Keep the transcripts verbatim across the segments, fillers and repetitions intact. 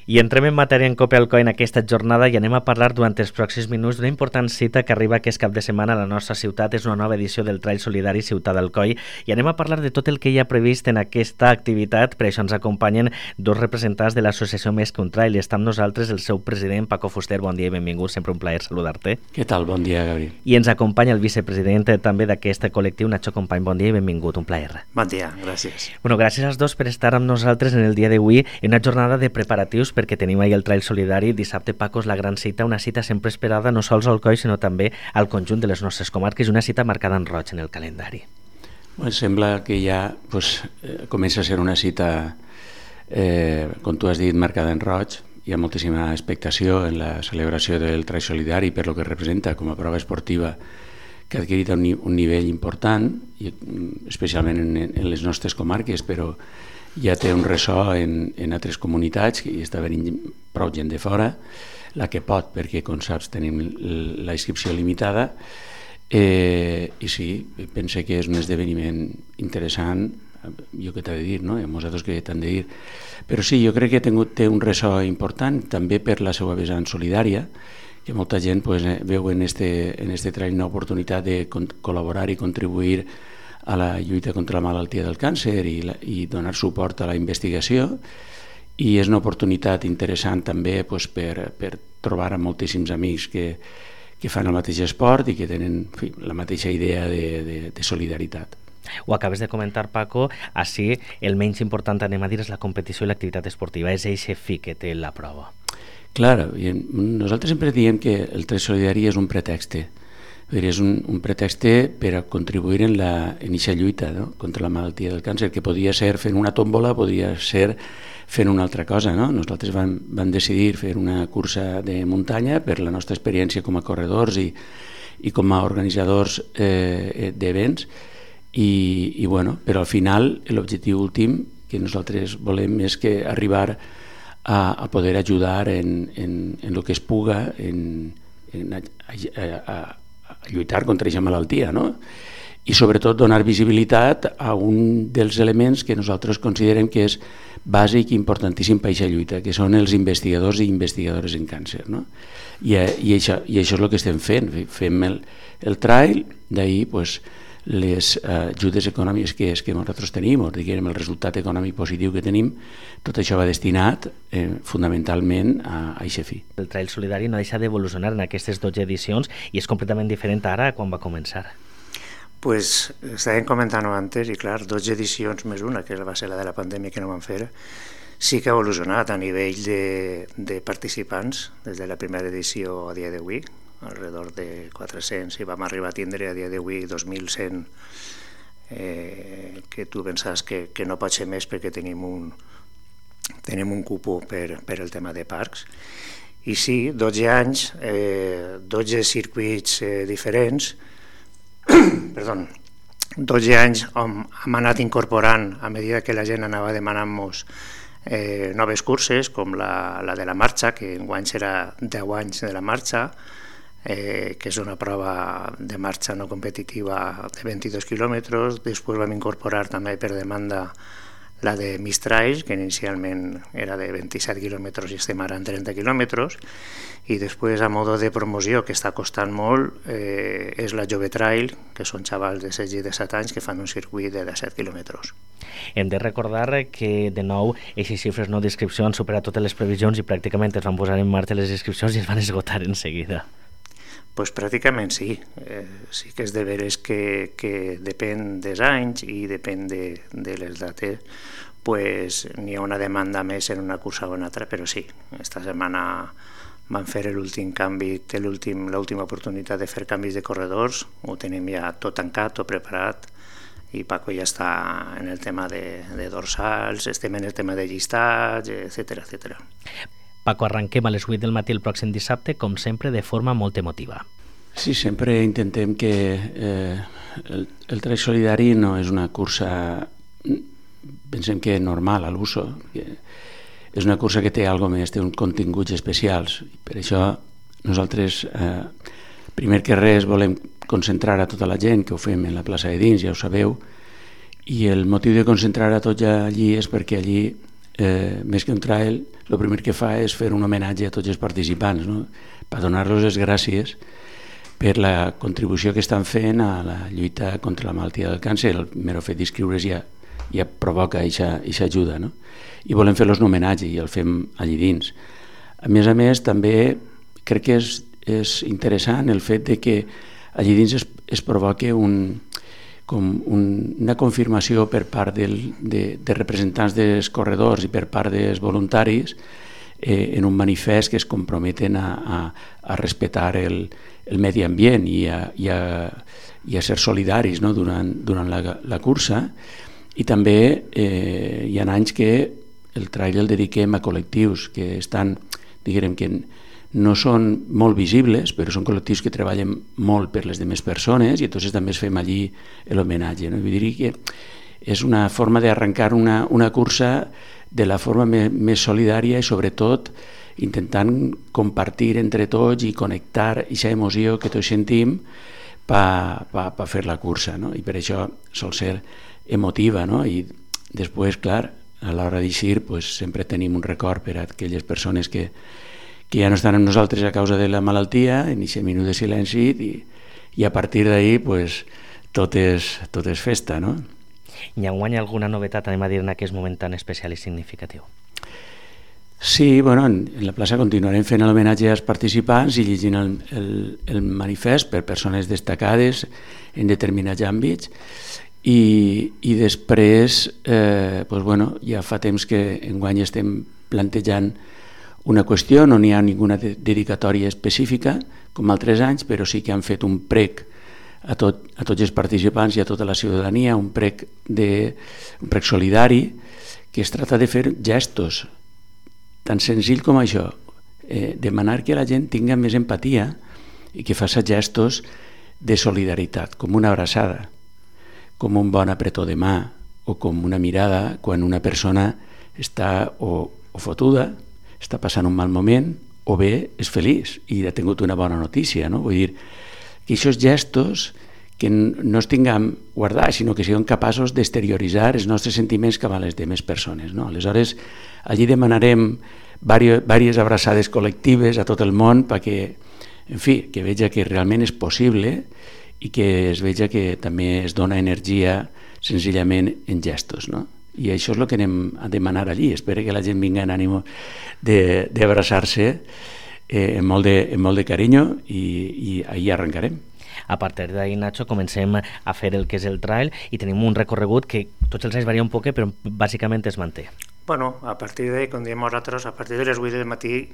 I entrem en matèria en Cope Alcoi en aquesta jornada i anem a parlar durant els pròxims minuts d'una important cita que arriba aquest cap de setmana a la nostra ciutat. És una nova edició del Trail Solidari Ciutat d'Alcoi i anem a parlar de tot el que hi ha previst en aquesta activitat. Per això ens acompanyen dos representants de l'associació Més que un Trail i està amb nosaltres el seu president, Paco Fuster. Bon dia i benvingut, sempre un plaer saludar-te. Què tal? Bon dia, Gabriel. I ens acompanya el vicepresident també d'aquest col·lectiu, Nacho Company. Bon dia i benvingut, un plaer. Bon dia, gràcies. Bueno, gràcies als dos per estar amb nosaltres en el dia d'avui en una jornada de preparatius perquè tenim ahir el Trail Solidari. Dissabte, Paco, és la gran cita, una cita sempre esperada no sols al Alcoi sinó també al conjunt de les nostres comarques, una cita marcada en roig en el calendari. Bueno, sembla que ja pues, eh, comença a ser una cita, eh, com tu has dit, marcada en roig. Hi ha moltíssima expectació en la celebració del Trail Solidari per lo que representa com a prova esportiva que ha adquirit un, un nivell important, i, especialment en, en les nostres comarques, però ja té un ressò en, en altres comunitats i està venint prou gent de fora, la que pot, perquè com saps tenim la inscripció limitada, eh, i sí, pense que és un esdeveniment interessant, jo què t'he de dir, no? I a nosaltres què t'han de dir, però sí, jo crec que ha tingut, té un ressò important també per la seva vessant solidària, que molta gent pues, veu en este, en este trail una oportunitat de con- col·laborar i contribuir a la lluita contra la malaltia del càncer i, la, i donar suport a la investigació, i és una oportunitat interessant també pues, per, per trobar a moltíssims amics que, que fan el mateix esport i que tenen en fi, la mateixa idea de, de, de solidaritat. Ho acabes de comentar, Paco, així el menys important, anem a dir, és la competició i l'activitat esportiva, és eixe fi que té la prova. Clar, nosaltres sempre diem que el Trail Solidari és un pretext, és un, un pretext per a contribuir en aquesta lluita, no? Contra la malaltia del càncer, que podia ser fent una tòmbola, podria ser fent una altra cosa, no? Nosaltres vam, vam decidir fer una cursa de muntanya per la nostra experiència com a corredors i, i com a organitzadors eh, d'events, i, i bueno, però al final l'objectiu últim que nosaltres volem és que arribar a, a poder ajudar en, en, en el que es puga en, en a, a, a, a lluitar contra aquesta malaltia, no? I sobretot donar visibilitat a un dels elements que nosaltres considerem que és bàsic i importantíssim per aquesta lluita, que són els investigadors i investigadores en càncer, no? I, i, això, i això és el que estem fent, fem el, el trail, d'ahir pues, les uh, ajudes econòmiques que, que nosaltres tenim, o diguem el resultat econòmic positiu que tenim, tot això va destinat eh, fonamentalment a aquest fi. El Trail Solidari no deixa d'evolucionar en aquestes dotze edicions i és completament diferent ara quan va començar. Pues estàvem comentant antes, i clar, dotze edicions més una, que va ser la de la pandèmia que no vam fer, sí que ha evolucionat a nivell de, de participants des de la primera edició a dia d'avui, alrededor de quatre-cents, i vam arribar a tindre a dia d'avui dos mil cent, eh, que tu pensaves que, que no pot ser més perquè tenim un, tenim un cupo per, per el tema de parcs. I sí, dotze anys, eh, dotze circuits eh, diferents, perdó, dotze anys on hem anat incorporant a mesura que la gent anava demanant-nos eh, noves curses, com la, la de la marxa, que enguany serà deu anys de la marxa, eh, que és una prova de marxa no competitiva de vint-i-dos quilòmetres. Després vam incorporar també per demanda la de Mistrail, que inicialment era de vint-i-set quilòmetres i estem ara en trenta quilòmetres, i després a modo de promoció, que està costant molt, eh, és la Jove Trail, que són xavals de setze i disset anys que fan un circuit de disset quilòmetres. Hem de recordar que, de nou, aquestes xifres no d'inscripció han superat totes les previsions i pràcticament es van posar en marxa les inscripcions i es van esgotar en seguida. Pues pràcticament sí. Eh, sí que és de veres que, que depèn dels anys i depèn de, de les dates, pues n'hi ha una demanda més en una cursa o en altra, però sí, esta setmana vam fer l'últim canvi, té l'última oportunitat de fer canvis de corredors, ho tenim ja tot tancat, tot preparat, i Paco ja està en el tema de, de dorsals, estem en el tema de llistats, etcètera, etcètera. Paco, arrenquem a les vuit del matí el pròxim dissabte, com sempre, de forma molt emotiva. Sí, sempre intentem que eh, el, el Trail Solidari no és una cursa, pensem que normal a l'uso, és una cursa que té alguna més, té uns continguts especials. Per això nosaltres, eh, primer que res, volem concentrar a tota la gent, que ho fem en la plaça de dins, ja ho sabeu, i el motiu de concentrar a tots allí és perquè allí eh, més que un trail, el primer que fa és fer un homenatge a tots els participants, no? Per donar-los les gràcies per la contribució que estan fent a la lluita contra la malaltia del càncer. El mero fet d'inscriure's ja, ja provoca aquesta ajuda, no? I volem fer-los un homenatge i el fem allí dins. A més a més, també crec que és, és interessant el fet de que allí dins es, es provoca un, com un, una confirmació per part del, de, de representants dels corredors i per part dels voluntaris eh, en un manifest que es comprometen a, a, a respectar el, el medi ambient i a, i a, i a ser solidaris, no? durant, durant la, la cursa. I també eh, hi ha anys que el trail el dediquem a col·lectius que estan, diguem que no són molt visibles, però són col·lectius que treballen molt per les demés persones i entonces també es fem allí l'homenatge, no? Vull dir que és una forma d'arrencar una, una cursa de la forma més, més solidària i sobretot intentant compartir entre tots i connectar aquesta emoció que tots sentim per pa, pa fer la cursa, no? I per això sol ser emotiva, no? I després, clar, a l'hora d'eixir pues, sempre tenim un record per a aquelles persones que, que ja no estan amb nosaltres a causa de la malaltia, en aquest minut de silenci i, i a partir d'ahir pues, tot, és, tot és festa, no? I enguany alguna novetat, anem a dir, en aquest moment tan especial i significatiu? Sí, bueno, en, en la plaça continuarem fent l'homenatge als participants i llegint el, el, el manifest per persones destacades en determinats àmbits. I, i després eh, pues bueno, ja fa temps que enguany estem plantejant una qüestió, no n'hi ha ninguna de dedicatòria específica com altres anys, però sí que han fet un prec a, tot, a tots els participants i a tota la ciutadania, un prec, de, un prec solidari que es tracta de fer gestos tan senzill com això, eh, demanar que la gent tinga més empatia i que faci gestos de solidaritat, com una abraçada, com un bon apretó de mà o com una mirada quan una persona està o, o fotuda, està passant un mal moment o bé és feliç i ha tingut una bona notícia, no? Vull dir que aquests gestos que no els tinguem guardats, sinó que siguem capaços d'exterioritzar els nostres sentiments cap a les demés persones, no? Aleshores, allí demanarem diverses abraçades col·lectives a tot el món perquè, en fi, que veja que realment és possible i que es veja que també es dona energia senzillament en gestos, no? I això és el que anem a demanar allí. Espero que la gent vingui en ànim d'abraçar-se eh, amb, molt de, amb molt de carinyo i, i ahir arrencarem. A partir d'ahir, Nacho, comencem a fer el que és el trail i tenim un recorregut que tots els anys varia un poc, però bàsicament es manté. Bueno, a partir d'ahir, com diem nosaltres, a partir de les vuit del matí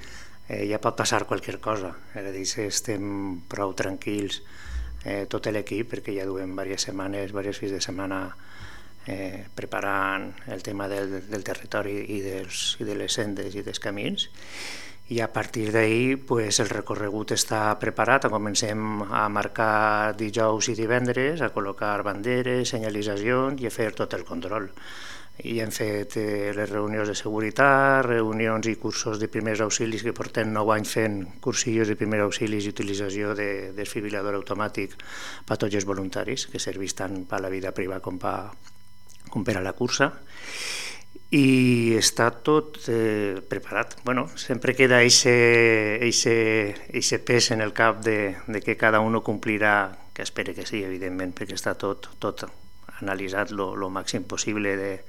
eh, ja pot passar qualsevol cosa. És a dir, estem prou tranquils eh, tot l'equip, perquè ja duem diverses setmanes, diversos fins de setmana eh, preparant el tema del, del territori i, dels, i de les sendes i dels camins. I a partir d'ahir pues, el recorregut està preparat, comencem a marcar dijous i divendres, a col·locar banderes, senyalitzacions i a fer tot el control. I hem fet eh, les reunions de seguretat, reunions i cursos de primers auxilis, que portem nou anys fent cursillos de primers auxilis i utilització de desfibrilador automàtic per a tots els voluntaris, que serveix tant per a la vida privada com per, com per a la cursa. I està tot eh, preparat. Bueno, sempre queda aquest pes en el cap de, de que cada un complirà, que espere que sí, evidentment, perquè està tot, tot analitzat lo, lo màxim possible de,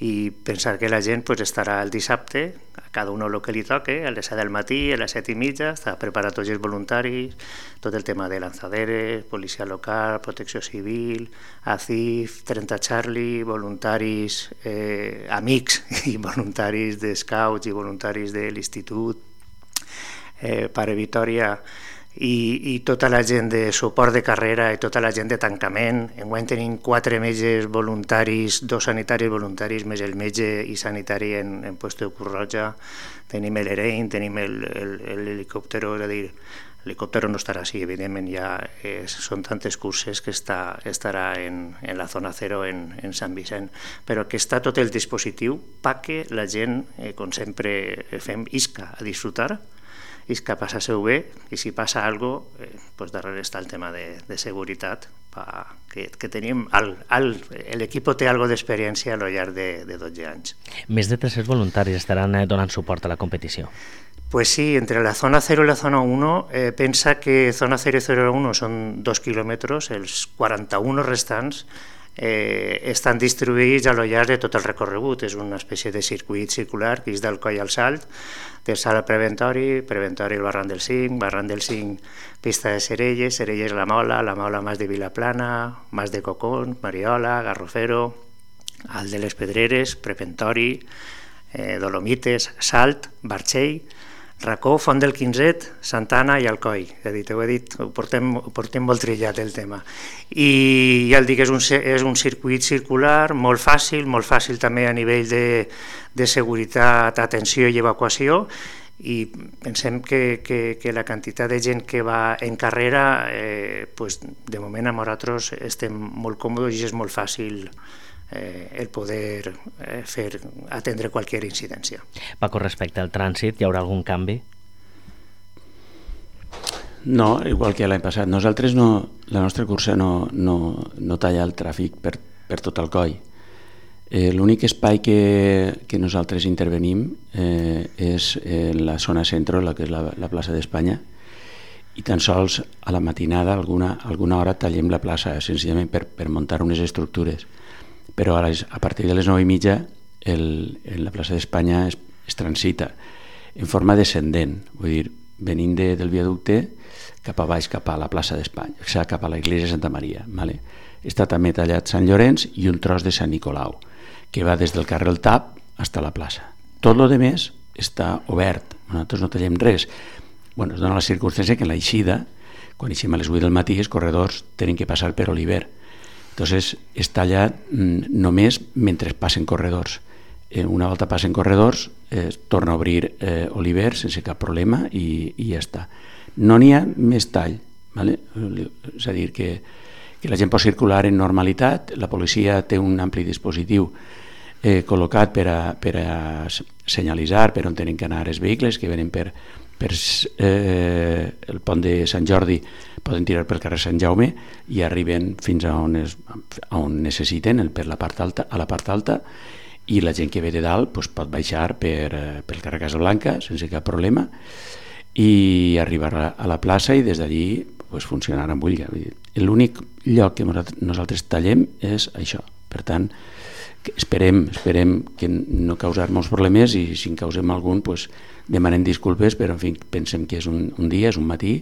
i pensar que la gent pues, estarà el dissabte, a cada un el que li toque, a les set del matí, a les set i mitja, està preparat tots els voluntaris, tot el tema de lanzaderes, policia local, protecció civil, A C I F, trenta Charlie, voluntaris eh, amics i voluntaris de scouts i voluntaris de l'institut, eh, Pare Vitòria, I, i tota la gent de suport de carrera i tota la gent de tancament. Enguany tenim quatre metges voluntaris, dos sanitaris voluntaris, més el metge i sanitari en, en puesto de Cruz Roja. Tenim l'Erein, tenim l'helicòptero, és a dir, l'helicòptero no estarà així, evidentment, ja eh, són tantes curses que està, estarà en, en la zona zero en, en Sant Vicent, però que està tot el dispositiu perquè la gent, eh, com sempre fem, isca a disfrutar, és que passa-se-ho bé i si passa alguna cosa, eh, pues darrere està el tema de, de seguretat fa que, que tenim... L'equip té algo d'experiència a lo llarg de, de dotze anys. Més de tres-cents voluntaris estaran eh, donant suport a la competició. Pues sí, entre la zona cero y la zona uno, eh, pensa que zona cero y zona uno son dos kilòmetres, els quaranta-un restants eh, estan distribuïts a lo llarg de tot el recorregut. És una espècie de circuit circular que és del Coll al Salt, del Salt al Preventori, Preventori al Barran del Cinc, Barran del Cinc, pista de Cerelles, Cerelles la Mola, la Mola Mas de Vilaplana, Mas de Cocón, Mariola, Garrofero, Alt de les Pedreres, Preventori, eh, Dolomites, Salt, Barxell, Racó, Font del Quinzet, Santana i Alcoi. He dit, ho he dit, ho portem, ho portem molt trillat el tema. I ja el dic, és un, és un circuit circular molt fàcil, molt fàcil també a nivell de, de seguretat, atenció i evacuació, i pensem que, que, que la quantitat de gent que va en carrera, eh, pues, de moment amb nosaltres estem molt còmodes i és molt fàcil Eh, el poder eh, fer atendre qualsevol incidència. Paco, respecte al trànsit, hi haurà algun canvi? No, igual que l'any passat. Nosaltres no, la nostra cursa no, no, no talla el tràfic per, per tot el coll. Eh, L'únic espai que, que nosaltres intervenim eh, és en la zona centro, la que és la, la plaça d'Espanya, i tan sols a la matinada, alguna, alguna hora tallem la plaça, senzillament per, per muntar unes estructures. Però a, les, a partir de les nou i mitja el, el, la plaça d'Espanya es, es transita en forma descendent, vull dir, venint de, del viaducte cap a baix, cap a la plaça d'Espanya, o sigui, cap a la Iglesia de Santa Maria. Vale? Està també tallat Sant Llorenç i un tros de Sant Nicolau, que va des del carrer El Tap fins a la plaça. Tot el més està obert, nosaltres no tallem res. Bueno, es dona la circumstància que en l'eixida, quan eixim a les vuit del matí, els corredors tenen que passar per Oliver. Entonces, es talla mm, només mentre passen corredors. Eh, una volta passen corredors, eh, torna a obrir eh, Oliver sense cap problema i, i ja està. No n'hi ha més tall, ¿vale? És a dir, que, que la gent pot circular en normalitat, la policia té un ampli dispositiu eh, col·locat per a, per a senyalitzar per on tenen que anar els vehicles que venen per, per eh, el pont de Sant Jordi, poden tirar pel carrer Sant Jaume i arriben fins a on, es, a on necessiten, per la part alta, a la part alta, i la gent que ve de dalt pues, pot baixar per, pel carrer Casablanca sense cap problema i arribar a, a la plaça i des d'allí pues, funcionar amb ull. L'únic lloc que nosaltres tallem és això. Per tant, esperem, esperem que no causar molts problemes i si en causem algun pues, demanem disculpes, però en fi, pensem que és un, un dia, és un matí,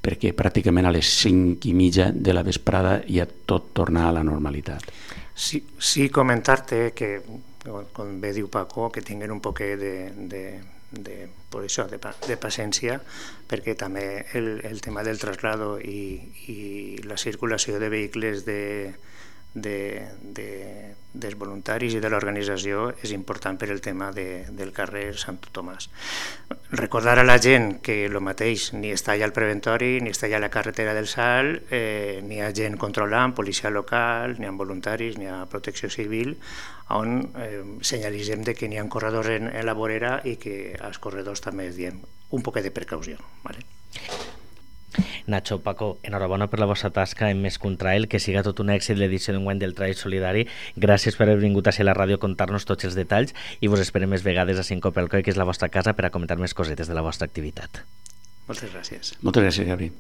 perquè pràcticament a les cinc i mitja de la vesprada ja tot torna a la normalitat. Sí, sí comentar-te que, com bé diu Paco, que tinguin un poc de, de, de, per això, de, de paciència, perquè també el, el tema del traslado i, i la circulació de vehicles de De, de, dels voluntaris i de l'organització és important per el tema de, del carrer Sant Tomàs. Recordar a la gent que el mateix ni està allà al Preventori, ni està allà a la carretera del Salt, eh, ni hi ha gent controlant, policia local, ni hi ha voluntaris, ni hi ha protecció civil, on eh, senyalitzem de que n'hi ha corredors en, en la vorera i que als corredors també es diem un poc de precaució. Vale? Nacho, Paco, enhorabona per la vostra tasca en Més que un Trail, que siga tot un èxit l'edició d'enguany del Trail Solidari. Gràcies per haver vingut a ser a la ràdio a contar-nos tots els detalls i vos esperem més vegades a Cinco pel Coll, que és la vostra casa, per a comentar més cosetes de la vostra activitat. Moltes gràcies. Moltes gràcies, Gabri.